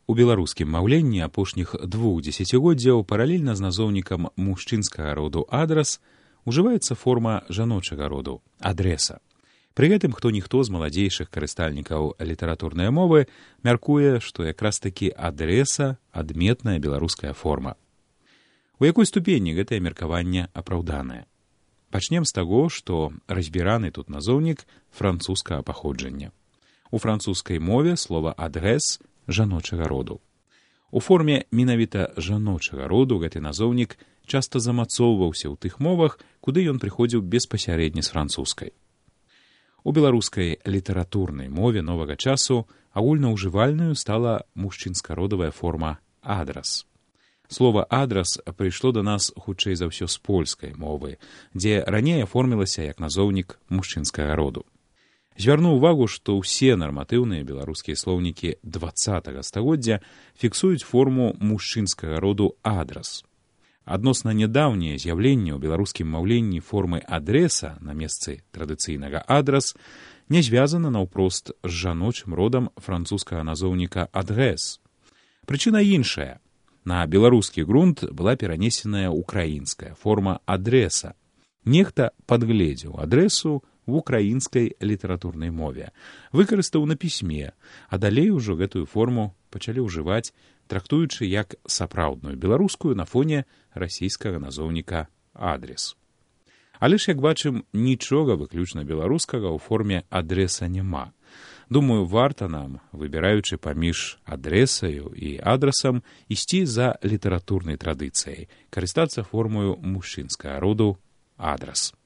У беларускім маўленні апошніх 2 дзесяцігоддзяў паралельна з назоўнікам мужчынскага роду адрас ужываецца форма жаночага роду адрэса. Пры гэтым хто-ніхто з маладзейшых карыстальнікаў літаратурнай мовы мяркуе, што якраз такі адрэса адметная беларуская форма. У якой ступені гэтае меркаванне апраўданае? Пачнем з таго, што разбіраны тут назоўнік французскага паходжання. У французскай мове слова адрэс жаночага роду. У форме менавіта жаночага роду гэты назоўнік часта замацоўваўся ў тых мовах, куды ён прыходзіў беспасярэдне з французскай. У беларускай літаратурнай мове новага часу агульнаўжывальнаю стала мужчынска-родавая форма адрас. Слова адрас прыйшло да нас хутчэй за ўсё з польскай мовы, дзе раней аформілася як назоўнік мужчынскага роду. Звярну ўвагу, што ўсе нарматыўныя беларускія слоўнікі 20 стагоддзя фіксуюць форму мужчынскага роду адрас. Адносна нядаўняе з'яўленне ў беларускім маўленні формы адрэса на месцы традыцыйнага адрас не звязана наўпрост з жаночым родам французскага назоўніка адрэс. Прычына іншая. На беларускі грунт была перанесеная украінская форма адрэса. Нехта падгледзеў адрэсу в украінскай літаратурнай мове, выкарыстаў на пісьме, а далей ужо гэтую форму пачалі ўжываць, трактуючы як сапраўдную беларускую на фоне расійскага назоўніка адрес. Але ж, як бачым, нічога выключна беларускага ў форме адрэса няма. Думаю, варта нам, выбіраючы паміж адрэсаю і адрасам, ісці за літаратурнай традыцыяй, карыстацца формою мужчынскага роду адрас.